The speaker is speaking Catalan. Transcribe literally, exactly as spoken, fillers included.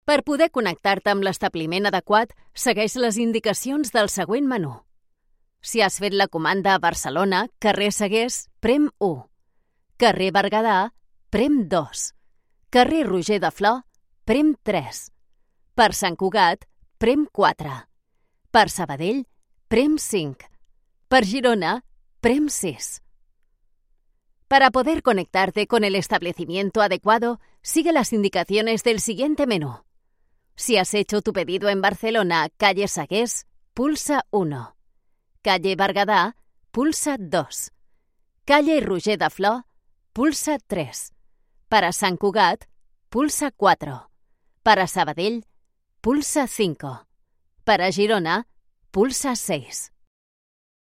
Per poder connectar-te amb l'establiment adequat, segueix les indicacions del següent menú. Si has fet la comanda a Barcelona, carrer Segués, prem u. Carrer Berguedà, prem dos. Carrer Roger de Flor, prem tres. Per Sant Cugat, prem quatre. Per Sabadell, prem cinc. Per Girona, prem seis. Para poder conectarte con el establecimiento adecuado, sigue las indicaciones del siguiente menú. Si has hecho tu pedido en Barcelona, calle Segués, pulsa uno. Calle Berguedà, pulsa dos. Calle Roger de Flor, pulsa tres. Para Sant Cugat, pulsa cuatro. Para Sabadell, pulsa cinco. Para Girona, pulsa seis.